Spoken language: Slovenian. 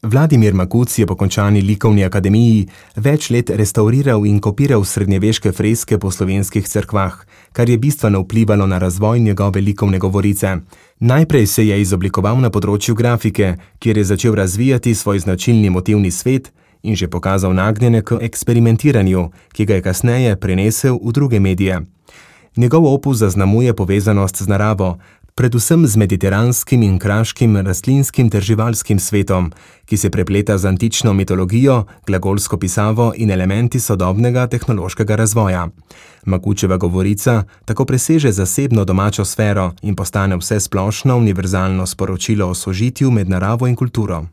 Vladimir Makuc je po končani likovni akademiji več let restauriral in kopiral srednjeveške freske po slovenskih cerkvah, kar je bistveno vplivalo na razvoj njegove likovne govorice. Najprej se je izoblikoval na področju grafike, kjer je začel razvijati svoj značilni motivni svet in že pokazal nagnjenje k eksperimentiranju, ki ga je kasneje prenesel v druge medije. Njegov opus zaznamuje povezanost z naravo, predvsem z mediteranskim in kraškim rastlinskim ter živalskim svetom, ki se prepleta z antično mitologijo, glagolsko pisavo in elementi sodobnega tehnološkega razvoja. Makučeva govorica tako preseže zasebno domačo sfero in postane vsesplošno univerzalno sporočilo o sožitju med naravo in kulturo.